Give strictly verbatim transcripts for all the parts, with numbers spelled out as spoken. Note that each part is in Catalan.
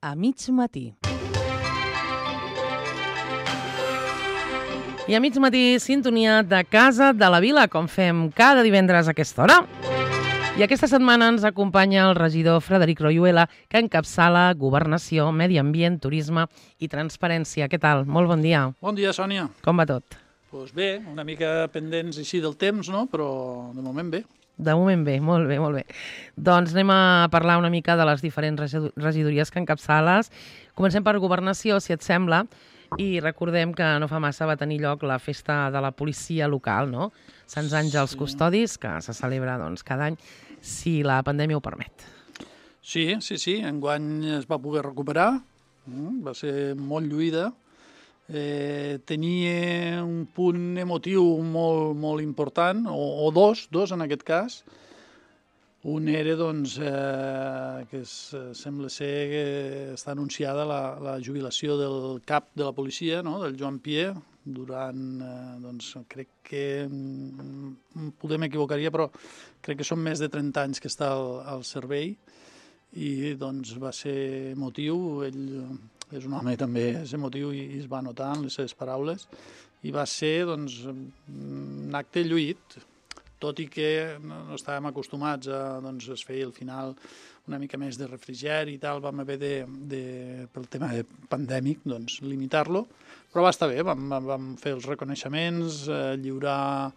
a mig matí. I a mig matí, sintonia de Casa de la Vila, com fem cada divendres a aquesta hora. I aquesta setmana ens acompanya el regidor Frederic Royuela, que encapçala Governació, Medi Ambient, Turisme i Transparència. Què tal? Molt bon dia. Bon dia, Sònia. Com va tot? Doncs bé, una mica pendents així del temps, no? Però de moment bé. De moment bé, molt bé, molt bé. Doncs anem a parlar una mica de les diferents regidories que encapçales. Comencem per Governació, si et sembla, i recordem que no fa massa va tenir lloc la festa de la policia local, no? Sants Àngels sí. Custodis, que se celebra doncs, cada any, si la pandèmia ho permet. Sí, sí, sí, enguany es va poder recuperar, va ser molt lluïda. Eh, tenia un punt emotiu molt, molt important, o, o dos, dos en aquest cas. Un era, doncs, eh, que es, sembla ser que està anunciada la, la jubilació del cap de la policia, no?, del Joan Pier, durant, eh, doncs, crec que, mm, podem equivocaria, però crec que són més de trenta anys que està al, al servei, i, doncs, va ser emotiu. Ell és un home també és emotiu i es va notar en les seves paraules, i va ser, doncs, un acte lluït, tot i que no estàvem acostumats a, doncs, es feia al final una mica més de refrigeri i tal, vam haver de, de pel tema de pandèmic, doncs, limitar-lo, però va estar bé, vam, vam fer els reconeixements, eh, lliurar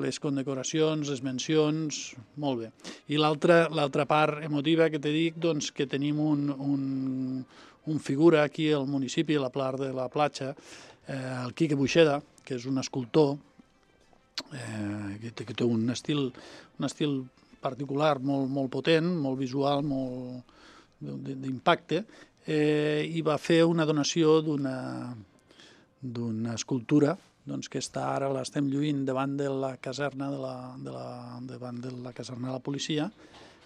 les condecoracions, les mencions, molt bé. I l'altra l'altra part emotiva que te dic, doncs, que tenim un, un, un figura aquí al municipi, a la Plar de la Platja, eh, el Quique Buixeda, que és un escultor, eh, que, té, que té un estil, un estil particular molt, molt potent, molt visual, molt d'impacte, eh, i va fer una donació d'una d'una escultura, doncs, que està ara, l'estem lluint davant de la caserna de la, de la, davant de la caserna de la policia,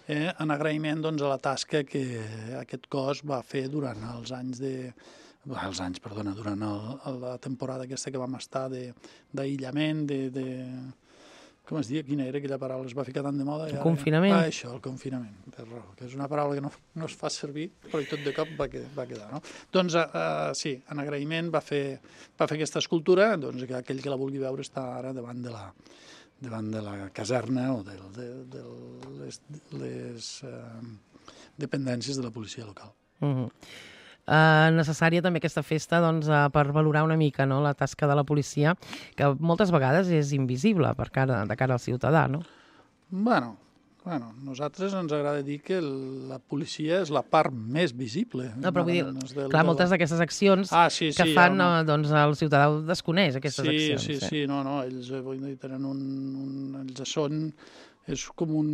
eh, en agraïment, doncs, a la tasca que aquest cos va fer durant els anys de... els anys, perdona, durant el, la temporada aquesta que vam estar d'aïllament, de, de, de... com es diu? Quina era aquella paraula? Es va ficar tant de moda. El confinament. Ah, això, el confinament, té raó, que és una paraula que no, no es fa servir, però tot de cop va, que, va quedar, no? Doncs, uh, sí, en agraïment va fer, va fer aquesta escultura, doncs, que aquell que la vulgui veure està ara davant de la, davant de la caserna o de, de, de les, les uh, dependències de la policia local. Mm-hmm. Uh, necessària també aquesta festa, doncs, uh, per valorar una mica, no?, la tasca de la policia, que moltes vegades és invisible per cara, de cara al ciutadà, no? Bueno, bueno, nosaltres ens agrada dir que la policia és la part més visible. No, però vull dir, del, clar, moltes d'aquestes accions ah, sí, sí, que fan, no. uh, doncs, el ciutadà desconeix aquestes sí, accions. Sí, sí, sí, no, no, ells, vull dir, tenen un, un... ells són... és com un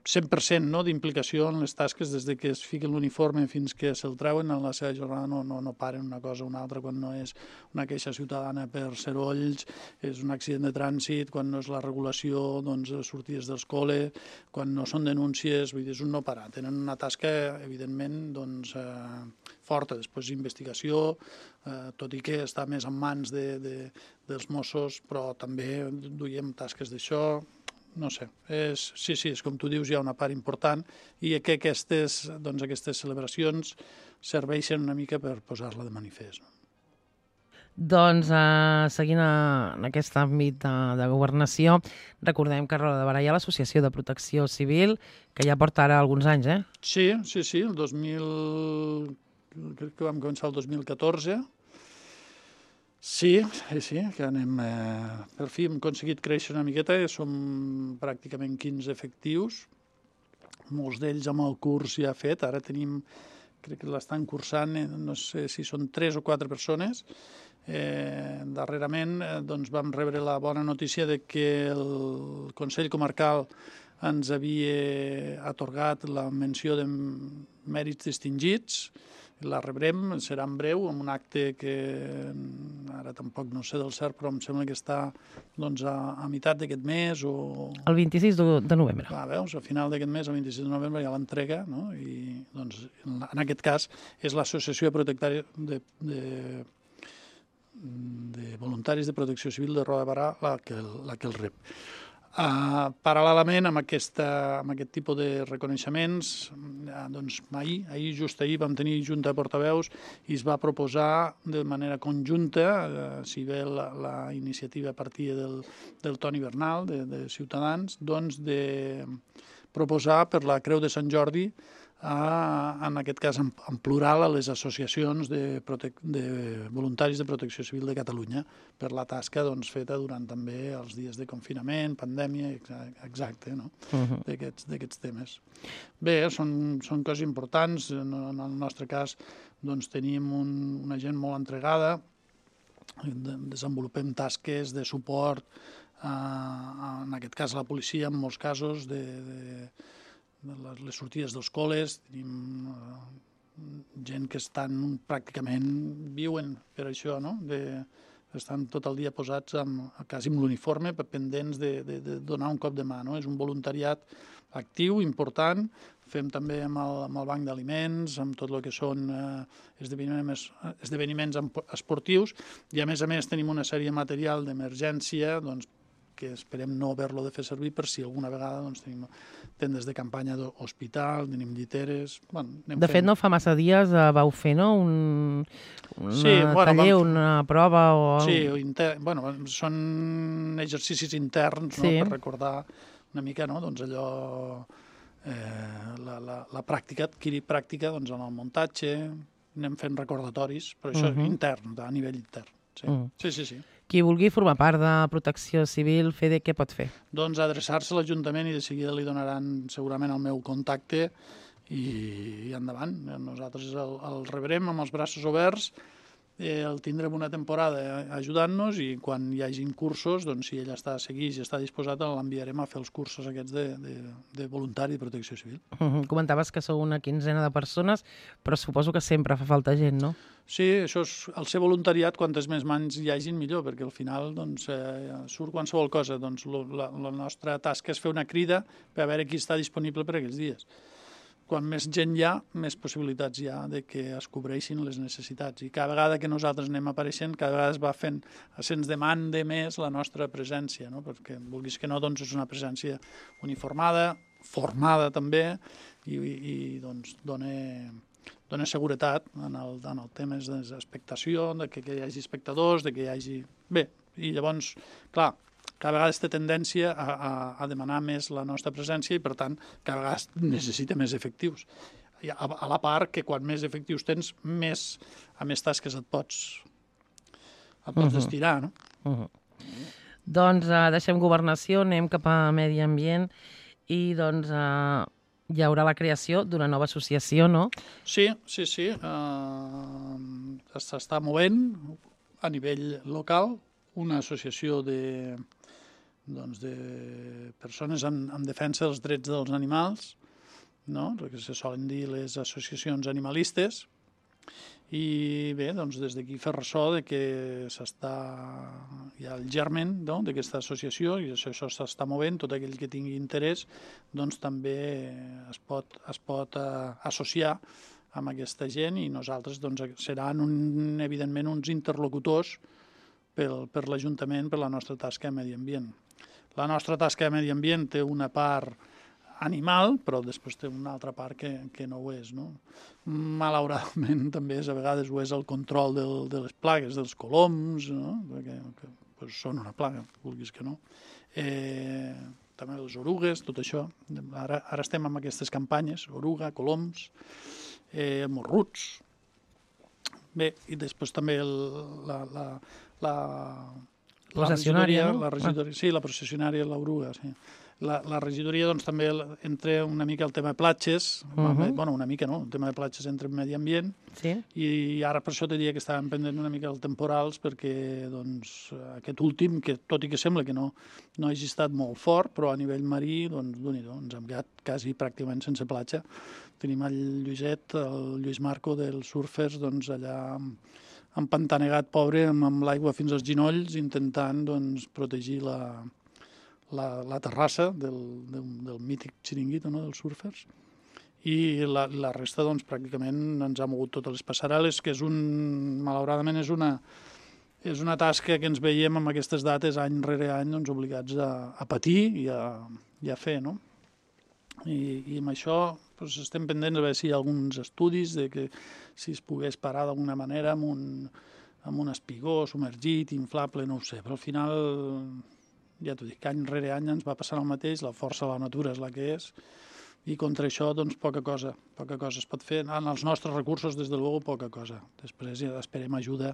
cent per cent, no?, d'implicació en les tasques des de que es fiquen l'uniforme fins que se'l treuen. En la seva jornada no, no, no paren una cosa o una altra, quan no és una queixa ciutadana per serolls, és un accident de trànsit, quan no és la regulació, doncs, sortides dels col·les, quan no són denúncies, vull dir, és un no parar. Tenen una tasca, evidentment, doncs, eh, forta. Després investigació, eh, tot i que està més en mans de, de, dels Mossos, però també duiem tasques d'això. No sé, és, sí, sí, és com tu dius, hi ha una part important, i que aquestes, doncs, aquestes celebracions serveixen una mica per posar-la de manifest. No? Doncs, eh, seguint a, en aquest àmbit de, de governació, recordem que a Roda de Barà hi ha l'Associació de Protecció Civil, que ja porta ara alguns anys, eh? Sí, sí, sí, el dos mil... crec que vam començar el dos mil catorze. Sí, sí, que anem... Eh, per fi hem aconseguit créixer una miqueta, som pràcticament quinze efectius, molts d'ells amb el curs ja fet, ara tenim, crec que l'estan cursant, no sé si són tres o quatre persones. Eh, darrerament eh, doncs vam rebre la bona notícia de que el Consell Comarcal ens havia atorgat la menció de mèrits distingits. La rebrem, serà en breu, amb un acte que ara tampoc no sé del cert, però em sembla que està, doncs, a, a meitat d'aquest mes o... El vint-i-sis de novembre. Ah, veus, a final d'aquest mes, el vint-i-sis de novembre, hi ha l'entrega, no? I, doncs, en aquest cas, és l'Associació de, de, de, de Voluntaris de Protecció Civil de Roda de Barà la que, la que el rep. Uh, paral·lelament amb, aquesta, amb aquest tipus de reconeixements, uh, doncs ahir, ahir, just ahir, vam tenir junta de portaveus i es va proposar de manera conjunta, uh, si bé la, la iniciativa partia del, del Toni Bernal, de, de Ciutadans, doncs de proposar per la Creu de Sant Jordi, a, en aquest cas en, en plural, a les associacions de, protec de voluntaris de protecció civil de Catalunya per la tasca doncs, feta durant també els dies de confinament, pandèmia, exacte, no? Uh-huh. d'aquests temes. Bé, són, són coses importants. En, en el nostre cas doncs, tenim un, una gent molt entregada, desenvolupem tasques de suport, a, a, en aquest cas a la policia, en molts casos, de, de les sortides dels col·les, tenim uh, gent que estan pràcticament, viuen per això, no? De, estan tot el dia posats amb, quasi amb l'uniforme, pendents de, de, de donar un cop de mà, no? És un voluntariat actiu, important. Fem també amb el, amb el banc d'aliments, amb tot el que són uh, esdeveniments, esdeveniments esportius, i a més a més tenim una sèrie de material d'emergència, doncs, que esperem no haver-lo de fer servir per si alguna vegada doncs, tenim tendes de campanya d'hospital, tenim lliteres... Bueno, de fet, fent... no fa massa dies uh, vau fer, no?, un una sí, bueno, taller, vam... una prova o... Sí, inter... bueno, són exercicis interns, sí, no?, per recordar una mica, no?, doncs allò... Eh, la, la, la pràctica, adquirir pràctica doncs, en el muntatge, anem fent recordatoris, però això uh -huh. intern, a nivell intern. Sí, uh -huh. sí, sí, sí. Qui vulgui formar part de Protecció Civil, F E D, què pot fer? Doncs adreçar-se a l'Ajuntament i de seguida li donaran segurament el meu contacte i, i endavant. Nosaltres el, el rebrem amb els braços oberts, eh, el tindrem una temporada ajudant-nos i quan hi hagin cursos, doncs si ell està seguit i està disposat, l'enviarem a fer els cursos aquests de, de, de voluntari de Protecció Civil. Uh-huh. Comentaves que sou una quinzena de persones, però suposo que sempre fa falta gent, no? Sí, això és, el ser voluntariat, quantes més mans hi hagin, millor, perquè al final doncs, eh, surt qualsevol cosa. Doncs, lo, la, la nostra tasca és fer una crida per a veure qui està disponible per aquells dies. Quan més gent hi ha, més possibilitats hi ha de que es cobreixin les necessitats. I cada vegada que nosaltres anem apareixent, cada vegada es va fent, se'ns demanda més la nostra presència, no? Perquè vulguis que no, doncs és una presència uniformada, formada també, i, i doncs dona... dona seguretat en el, en el tema d'expectació, de que, que hi hagi espectadors, de que hi hagi... Bé, i llavors, clar, cada vegada té tendència a, a, a demanar més la nostra presència i, per tant, cada vegada necessita més efectius. I a, a la part que quan més efectius tens, més, a més tasques et pots, et pots uh-huh. estirar, no? Uh-huh. Doncs uh, deixem governació, anem cap a medi ambient i, doncs... Uh... hi haurà la creació d'una nova associació, no? Sí, sí, sí. Uh, S'està movent a nivell local una associació de, doncs, de persones en, en defensa dels drets dels animals, no? El que se solen dir les associacions animalistes. I bé, doncs des d'aquí fer ressò de que s'està, hi ha el germen, no?, d'aquesta associació i això, això s'està movent, tot aquell que tingui interès doncs també es pot, es pot uh, associar amb aquesta gent i nosaltres doncs, seran un, evidentment uns interlocutors pel, per l'Ajuntament, per la nostra tasca de medi ambient. La nostra tasca de medi ambient té una part animal, però després té una altra part que, que no ho és, no? Malauradament també és, a vegades ho és el control del, de les plagues, dels coloms, no? Perquè que, pues, són una plaga, vulguis que no. Eh, també les orugues, tot això. Ara, ara estem amb aquestes campanyes, oruga, coloms, eh, morruts. Bé, i després també el, la... la, la La regidoria, no? La regidoria, sí, la processionària, l'oruga, sí. La, la regidoria doncs, també entra una mica el tema de platges, uh-huh. bueno, una mica no, el tema de platges entra en medi ambient, sí. I ara per això te diria que estàvem pendent una mica dels temporals, perquè doncs, aquest últim, que tot i que sembla que no, no hagi estat molt fort, però a nivell marí, doncs, d'un-i-do, ens hem quedat quasi pràcticament sense platja. Tenim el Lluiset, el Lluís Marco dels surfers, doncs, allà empantanegat, pobre, amb, amb l'aigua fins als ginolls, intentant doncs, protegir la... La, la terrassa del, del, del mític xiringuito, no?, dels surfers, i la, la resta doncs, pràcticament ens ha mogut totes les passarel·les, que és un, malauradament és una, és una tasca que ens veiem amb aquestes dates any rere any doncs, obligats a, a patir i a, i a fer, no? I, i amb això doncs, estem pendents a veure si hi ha alguns estudis de que si es pogués parar d'alguna manera amb un, amb un espigó submergit, inflable, no ho sé, però al final, ja t'ho dic, any rere any ens va passant el mateix, la força de la natura és la que és, i contra això, doncs, poca cosa, poca cosa es pot fer. En els nostres recursos, des de luego, poca cosa. Després ja esperem ajuda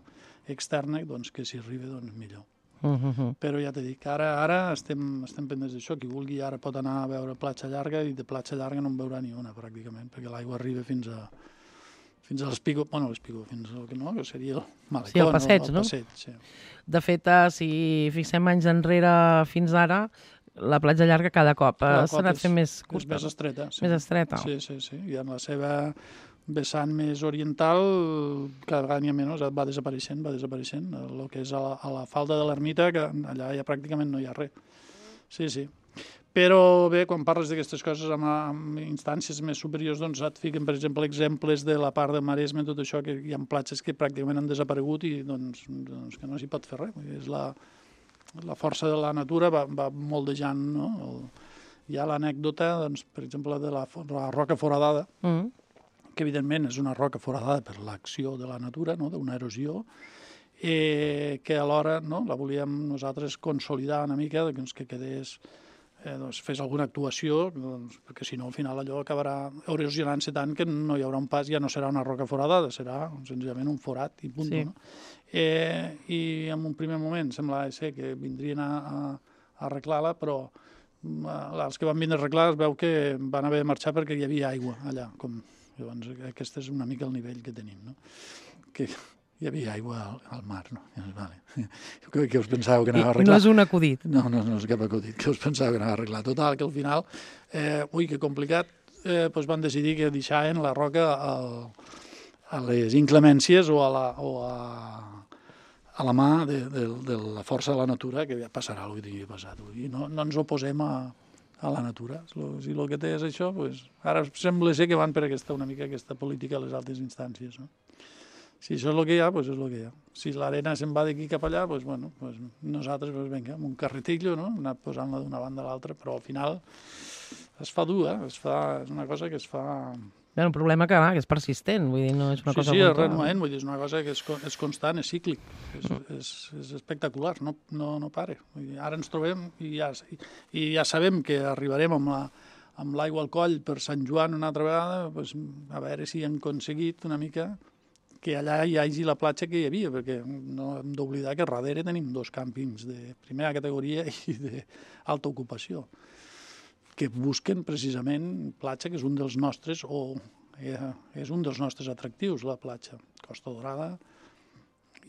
externa, doncs, que si arriba, doncs, millor. Uh -huh. Però ja t'he dit que ara, ara estem, estem pendents d'això. Qui vulgui ara pot anar a veure platja llarga i de platja llarga no en veurà ni una, pràcticament, perquè l'aigua arriba fins a fins a l'espigó, bueno, l'espigó, fins al que no, que seria el malecó, sí, el passeig, no? El passeig, sí. De fet, si fixem anys enrere fins ara, la platja llarga cada cop s'ha anat fent més curta. És més estreta. Sí. Més estreta. Sí, sí, sí. I en la seva vessant més oriental, cada vegada n'hi ha menys, va desapareixent, va desapareixent. El que és a la, a la falda de l'ermita, que allà ja pràcticament no hi ha res. Sí, sí. Però bé, quan parles d'aquestes coses amb, amb instàncies més superiors, doncs et fiquen, per exemple, exemples de la part de Maresme, tot això, que hi ha platges que pràcticament han desaparegut i doncs, doncs que no s'hi pot fer res. És la, la força de la natura va, va moldejant, no? El, hi ha l'anècdota, doncs, per exemple, de la, la roca foradada, mm. que evidentment és una roca foradada per l'acció de la natura, no? D'una erosió, eh, que alhora no? La volíem nosaltres consolidar una mica, doncs, que quedés, eh, doncs, fes alguna actuació, doncs, perquè si no al final allò acabarà erosionant-se tant que no hi haurà un pas, ja no serà una roca foradada, serà senzillament un forat i punt. Sí. No? Eh, I en un primer moment semblava ser que vindrien a, a, a arreglar-la, però els que van vindre a arreglar es veu que van haver de marxar perquè hi havia aigua allà. Com, llavors aquest és una mica el nivell que tenim, no? Que hi havia aigua al, al mar, no? Vale. Què, què us pensàveu que anava a arreglar? No és un acudit. No, no, no és cap acudit. Què us pensàveu que anava a arreglar? Total, que al final, eh, ui, que complicat, eh, doncs van decidir que deixaven la roca al, a les inclemències o a la, o a, a la mà de, de, de la força de la natura, que ja passarà el que tingui passat. I no, no ens oposem a, a la natura. Si el que té és això, doncs, ara sembla ser que van per aquesta, una mica aquesta política a les altes instàncies, no? Si això és el que hi ha, doncs és el que hi ha. Si l'arena se'n va d'aquí cap allà, doncs, bueno, doncs nosaltres, doncs, vinga, amb un carretillo, no? Anar posant-la d'una banda a l'altra, però al final es fa dur, eh? Es fa, és una cosa que es fa... Bé, un problema que, clar, que és persistent, vull dir, no és una sí, cosa... Sí, sí, és renuent, vull dir, és una cosa que és, és constant, és cíclic, és, mm. és, és espectacular, no, no, no pare. Vull dir, ara ens trobem i ja, i ja sabem que arribarem amb la, amb l'aigua al coll per Sant Joan una altra vegada, doncs, a veure si hem aconseguit una mica que allà hi hagi la platja que hi havia, perquè no hem d'oblidar que darrere tenim dos càmpings de primera categoria i d'alta ocupació, que busquen precisament platja, que és un dels nostres, o eh, és un dels nostres atractius, la platja. Costa Dorada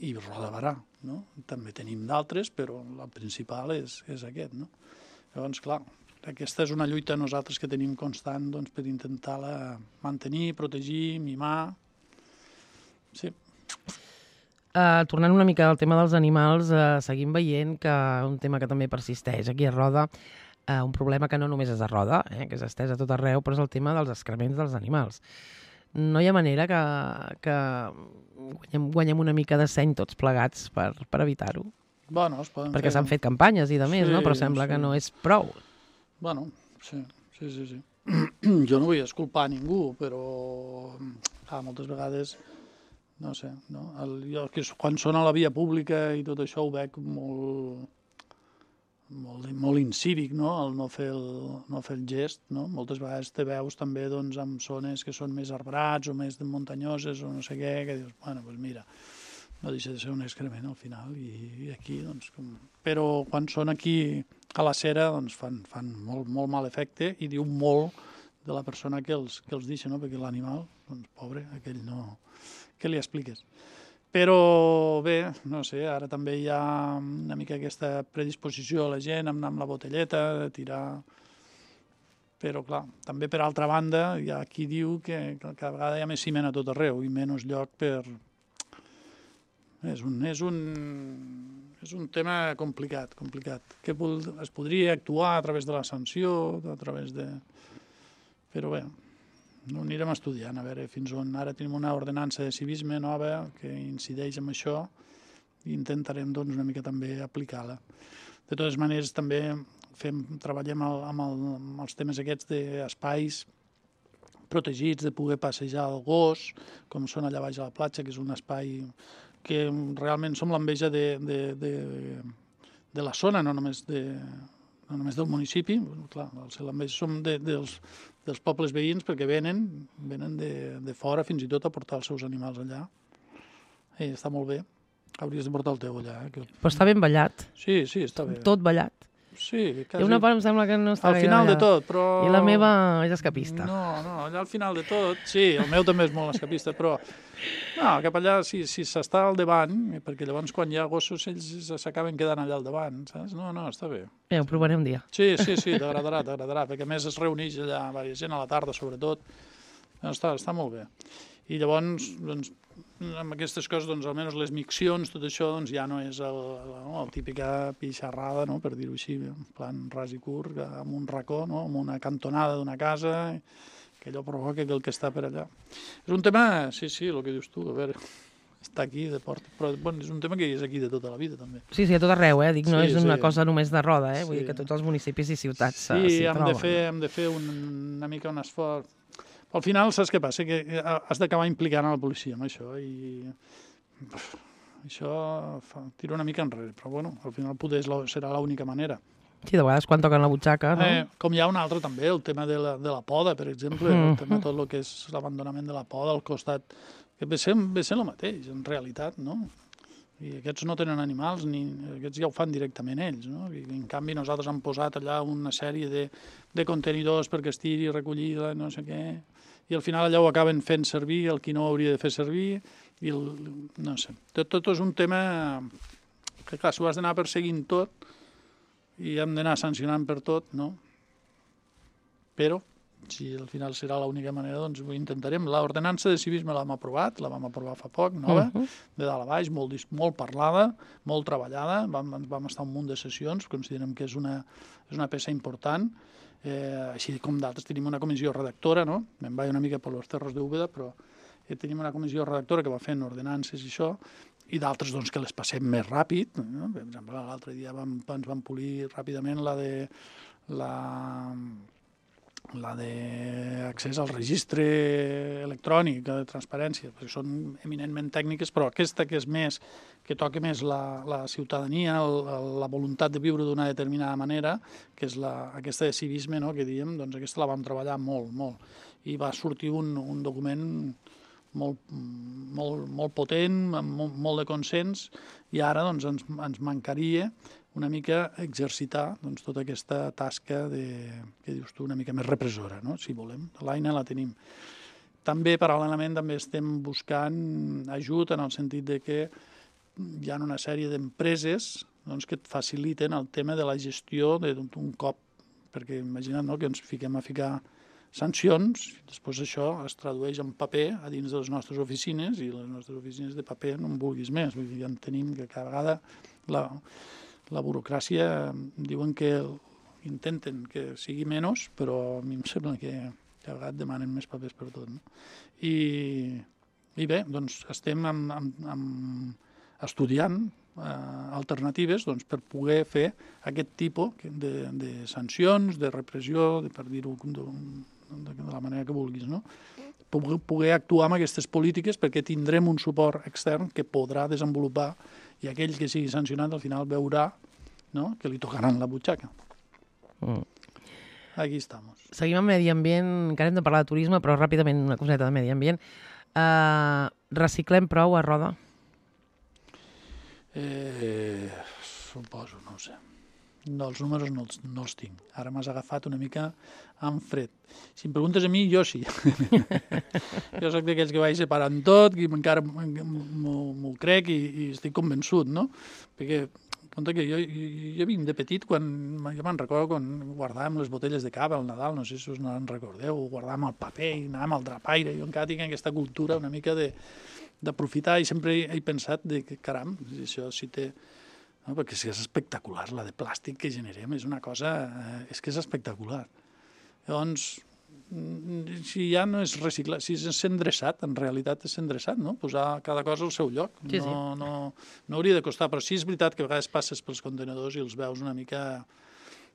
i Roda de Barà, no? També tenim d'altres, però el principal és, és aquest, no? Llavors, clar, aquesta és una lluita nosaltres que tenim constant, doncs, per intentar-la mantenir, protegir, mimar. Sí. Uh, tornant una mica al tema dels animals, uh, seguim veient que un tema que també persisteix aquí a Roda, uh, un problema que no només és a Roda, eh, que s'estès a tot arreu, però és el tema dels excrements dels animals. No hi ha manera que, que guanyem, guanyem una mica de seny tots plegats per, per evitar-ho? Bueno, es poden Perquè fer... s'han fet campanyes i de més, sí, no? Però sembla sí. que no és prou. Bueno, sí, sí, sí. sí. Jo no vull esculpar ningú, però ah, moltes vegades... No sé, no? El, jo, que quan són a la via pública i tot això ho veig molt, molt, molt incívic, no? El no fer el, no fer el gest, no? Moltes vegades te veus també doncs, en zones que són més arbrats o més muntanyoses o no sé què, que dius, bueno, doncs mira, no deixa de ser un excrement al final i, i aquí, doncs... Com... Però quan són aquí a la cera, doncs fan, fan molt, molt mal efecte i diu molt de la persona que els, que els deixa, no? Perquè l'animal, doncs pobre, aquell no... Què li expliques? Però bé, no sé, ara també hi ha una mica aquesta predisposició a la gent amb, amb la botelleta, de tirar... Però, clar, també per altra banda hi ha qui diu que, que cada vegada hi ha més ciment a tot arreu i menys lloc per... És un, és un, és un tema complicat, complicat. Que es podria actuar a través de la sanció, a través de... Però bé... No anirem estudiant, a veure fins on. Ara tenim una ordenança de civisme nova que incideix en això i intentarem doncs, una mica també aplicar-la. De totes maneres, també fem, treballem el, amb, el, amb els temes aquests d'espais protegits, de poder passejar el gos, com són allà baix a la platja, que és un espai que realment som l'enveja de, de, de, de la zona, no només, de, no només del municipi. Clar, l'enveja som de, dels, dels pobles veïns perquè venen, venen de, de fora fins i tot a portar els seus animals allà. I està molt bé. Hauries de portar el teu allà. Eh? Que... Però està ben ballat. Sí, sí, està bé. Tot ballat. Sí, quasi... Hi ha una part em sembla que no està al final gaire de tot, però... I la meva és escapista. No, no, allà al final de tot, sí, el meu també és molt escapista, però no, cap allà, si si s'està al davant, perquè llavors quan hi ha gossos ells s'acaben quedant allà al davant, saps? No, no, està bé. Ja, ho provaré un dia. Sí, sí, sí, t'agradarà, t'agradarà, perquè a més es reuneix allà diversa gent a la tarda, sobretot. No, està, està molt bé. I llavors, doncs, amb aquestes coses, doncs, almenys les miccions, tot això, doncs, ja no és el, la, no, la típica pixarrada, no?, per dir-ho així, en plan ras i curt, amb un racó, no?, amb una cantonada d'una casa, que allò provoca que el que està per allà. És un tema, sí, sí, el que dius tu, a veure, està aquí de porta, però bueno, és un tema que és aquí de tota la vida, també. Sí, sí, a tot arreu, eh? Dic, no sí, és una sí. cosa només de roda, eh? Vull Sí. dir que tots els municipis i ciutats sí, s'hi hem troben. de fer, hem de fer un, una mica un esforç. Al final, saps què passa? Que has d'acabar implicant a la policia amb això i uf, això fa, tira una mica enrere, però bueno, al final poder la, serà l'única manera. Sí, de vegades quan toquen la butxaca, no? Eh, com hi ha un altre també, el tema de la, de la poda, per exemple, mm. el tema tot el que és l'abandonament de la poda al costat, que ve ser, ve ser el mateix, en realitat, no? I aquests no tenen animals, ni aquests ja ho fan directament ells, no? I en canvi nosaltres hem posat allà una sèrie de, de contenidors perquè es tiri, recollida, no sé què, i al final allà ho acaben fent servir el qui no ho hauria de fer servir, i el, no sé, tot, tot és un tema que clar, s'ho has d'anar perseguint tot i hem d'anar sancionant per tot, no? Però si al final serà l'única manera, doncs ho intentarem. L'ordenança de civisme l'hem aprovat, la vam aprovar fa poc, nova, uh -huh. de dalt a baix, molt, molt parlada, molt treballada, vam, vam estar un munt de sessions, considerem que és una, és una peça important, eh, així com d'altres tenim una comissió redactora, no? Me'n vaig una mica per los terros d'Úbeda, però eh, tenim una comissió redactora que va fent ordenances i això, i d'altres doncs, que les passem més ràpid, no? Per exemple, l'altre dia vam, ens vam polir ràpidament la de la la d'accés al registre electrònic, de transparència, perquè són eminentment tècniques, però aquesta que és més, que toca més la, la ciutadania, el, la voluntat de viure d'una determinada manera, que és la, aquesta de civisme, no?, que diem, doncs aquesta la vam treballar molt, molt. I va sortir un, un document molt, molt, molt potent, amb molt, molt de consens, i ara doncs, ens, ens mancaria una mica exercitar doncs, tota aquesta tasca de, que dius tu, una mica més repressora, no?, si volem. L'eina la tenim. També, paral·lelament, també estem buscant ajut en el sentit de que hi ha una sèrie d'empreses doncs, que et faciliten el tema de la gestió d'un cop, perquè imagina't, no?, que ens fiquem a ficar sancions, després això es tradueix en paper a dins de les nostres oficines, i les nostres oficines de paper no en vulguis més. Vull dir, ja en tenim que cada vegada la, la burocràcia diuen que intenten que sigui menys, però a mi em sembla que cada vegada demanen més papers per tot, no? I, i bé, doncs estem amb, amb, amb estudiant eh, alternatives doncs, per poder fer aquest tipus de, de sancions, de repressió, de, per dir-ho de, de, de la manera que vulguis, no? Poder, poder actuar amb aquestes polítiques perquè tindrem un suport extern que podrà desenvolupar, i aquell que sigui sancionat al final veurà, no?, que li tocaran la butxaca. Mm. Aquí estamos. Seguim amb medi ambient, encara hem de parlar de turisme, però ràpidament una coseta de medi ambient. Uh, reciclem prou a Roda? Eh, suposo, no ho sé. No, els números no els, no els tinc. Ara m'has agafat una mica en fred. Si em preguntes a mi, jo sí. Jo soc d'aquells que vaig separant tot, que encara m'ho crec i, i estic convençut, no? Perquè compte que jo, jo, jo vinc de petit, quan, jo me'n recordo quan guardàvem les botelles de cava al Nadal, no sé si us en recordeu, o guardàvem el paper i anàvem al drapaire. Jo encara tinc aquesta cultura una mica de d'aprofitar, i sempre he, he pensat de que, caram, això sí té... No, perquè és espectacular, la de plàstic que generem, és una cosa... Eh, és que és espectacular. Llavors, si ja no és reciclat, si és endreçat, en realitat és endreçat, no? Posar cada cosa al seu lloc. Sí, sí. No, no, no hauria de costar, però sí és veritat que a vegades passes pels contenedors i els veus una mica...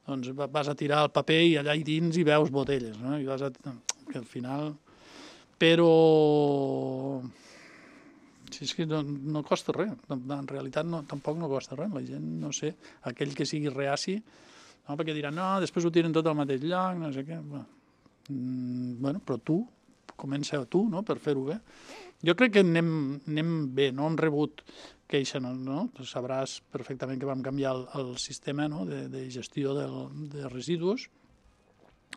Doncs vas a tirar el paper i allà hi dins hi veus botelles, no? I vas a... que al final... Però... Sí, és que no, no costa res. En realitat no, tampoc no costa res. La gent, no sé, aquell que sigui reaci, no? Perquè diran, no, després ho tiren tot al mateix lloc, no sé què... Bueno. Mm, bueno, però tu, comença tu, no?, per fer-ho bé. Jo crec que anem, anem bé, no hem rebut queixa, no? no? Sabràs perfectament que vam canviar el, el sistema, no?, de, de gestió del, de residus.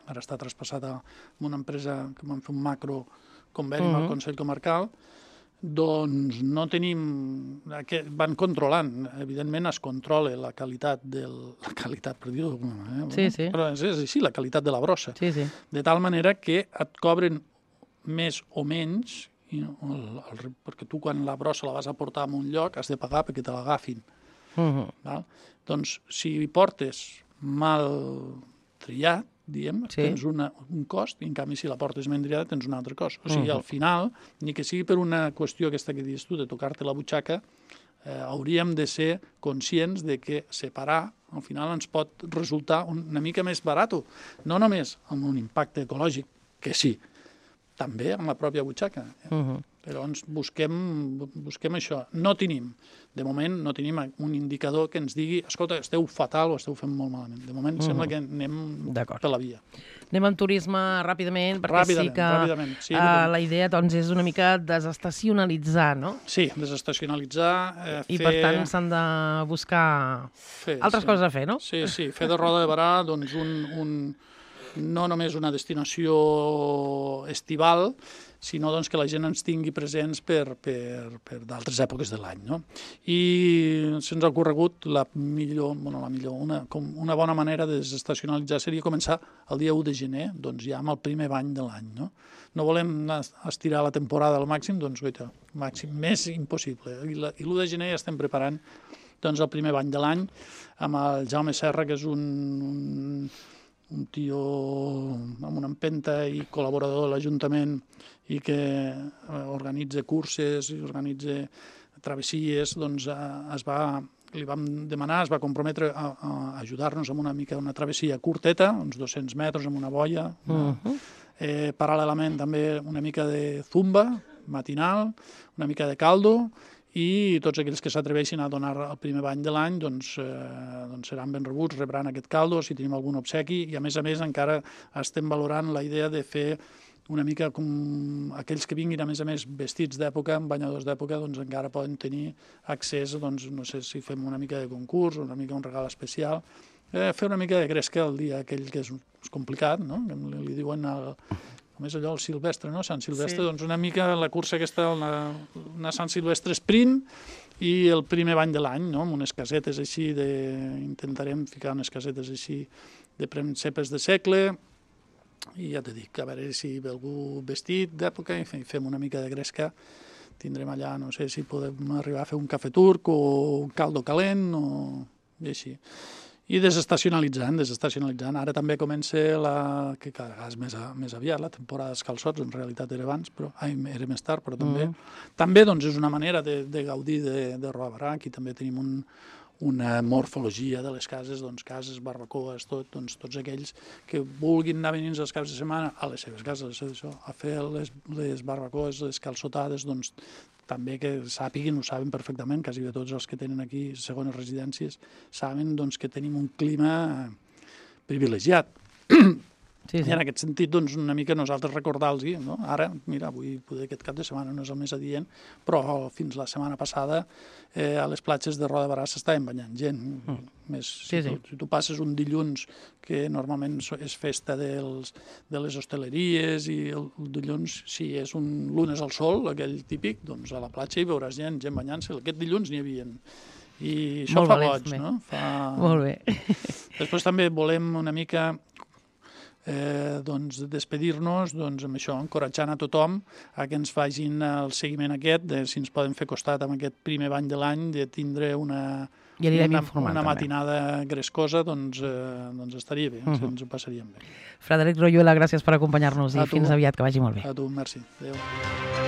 Ara està traspassat a una empresa que vam fer un macro conveni amb el Consell Comarcal. Doncs no tenim... Van controlant, evidentment es controla la qualitat del... La qualitat, per dir-ho d'alguna manera. Sí, sí. Però és, és així, la qualitat de la brossa. Sí, sí. De tal manera que et cobren més o menys, i el, el, perquè tu quan la brossa la vas a portar a un lloc has de pagar perquè te l'agafin. Uh-huh. Val? Doncs si portes mal triat, diem, sí. tens una, un cost, i en canvi si la portes ben triada tens un altre cost. O sigui, uh-huh. al final, ni que sigui per una qüestió aquesta que dius tu, de tocar-te la butxaca, eh, hauríem de ser conscients de que separar, al final ens pot resultar una mica més barat, no només amb un impacte ecològic, que sí, també amb la pròpia butxaca. Uh-huh. Però ens busquem, busquem això. No tenim, de moment, no tenim un indicador que ens digui escolta, esteu fatal o esteu fent molt malament. De moment uh-huh. sembla que anem per la via. Anem amb turisme ràpidament, perquè ràpidament, sí que ràpidament, sí, uh, la idea doncs, és una mica desestacionalitzar, no? Sí, desestacionalitzar. Eh, I fer... per tant s'han de buscar fer, altres sí. coses a fer, no? Sí, sí, fer de Roda de Barà doncs, un, un, no només una destinació estival, sinó doncs, que la gent ens tingui presents per, per, per d'altres èpoques de l'any. No? I se'ns ha ocorregut la millor, bueno, la millor una, com una bona manera de desestacionalitzar seria començar el dia u de gener, doncs ja amb el primer bany de l'any. No? no volem estirar la temporada al màxim, doncs goita, màxim, més impossible. I, la, i l'u de gener ja estem preparant doncs, el primer bany de l'any amb el Jaume Serra, que és un... un un tio amb una empenta i col·laborador de l'Ajuntament i que organitza curses i organitza travessies, doncs es va, li vam demanar, es va comprometre a, a ajudar-nos amb una mica una travessia curteta, uns dos-cents metres amb una boia. Una, uh-huh. eh, paral·lelament també una mica de zumba matinal, una mica de caldo, i tots aquells que s'atreveixin a donar el primer bany de l'any doncs, eh, doncs seran ben rebuts, rebran aquest caldo, si tenim algun obsequi, i a més a més encara estem valorant la idea de fer una mica com aquells que vinguin a més a més vestits d'època, amb banyadors d'època, doncs encara poden tenir accés, doncs no sé si fem una mica de concurs, una mica un regal especial, eh, fer una mica de gresca el dia aquell que és, és complicat, no? Que li, li diuen el... Com és allò, el Silvestre, no? Sant Silvestre, sí. Doncs una mica la cursa aquesta, una, una Sant Silvestre sprint i el primer bany de l'any, no? Amb unes casetes així, de... intentarem ficar unes casetes així de prensepes de segle i ja t'he dit, a veure si ve algú vestit d'època i fem una mica de gresca. Tindrem allà, no sé si podem arribar a fer un cafè turc o un caldo calent o i així. I desestacionalitzant, desestacionalitzant. Ara també comença la, que cada vegada és més, més aviat, la temporada dels calçots, en realitat era abans, però ai, era més tard, però també. Mm. També doncs, és una manera de, de gaudir de, de Roda Barà. Aquí també tenim un, una morfologia de les cases, doncs, cases, barbacoes, tot, doncs, tots aquells que vulguin anar venint els caps de setmana a les seves cases, a, les seves, a fer les, les barbacoes, les calçotades, doncs, també que sàpiguin, ho saben perfectament, quasi de tots els que tenen aquí segones residències, saben doncs, que tenim un clima privilegiat. Sí, sí. I en aquest sentit, doncs, una mica nosaltres recordar-los, no? Ara, mira, avui poder aquest cap de setmana no és el més adient, però fins la setmana passada eh, a les platges de Roda de Barà s'estaven banyant gent. Mm. Més, sí, si, tu, sí. si tu passes un dilluns, que normalment és festa dels, de les hostaleries, i el, el dilluns, si és un lunes al sol, aquell típic, doncs a la platja hi veuràs gent, gent banyant-se. Aquest dilluns n'hi havia. I això Molt fa valents, goig, no? Fa... Molt bé. Després també volem una mica... Eh, doncs, despedir-nos doncs, amb això, encoratjant a tothom a que ens facin el seguiment aquest, de si ens poden fer costat amb aquest primer bany de l'any, de tindre una, I anirem una, informant, una també. matinada grescosa, doncs, eh, doncs estaria bé, Uh-huh. ens ho passaríem bé. Frederic Royuela, gràcies per acompanyar-nos i A tu. fins aviat, que vagi molt bé. A tu, merci. Adéu.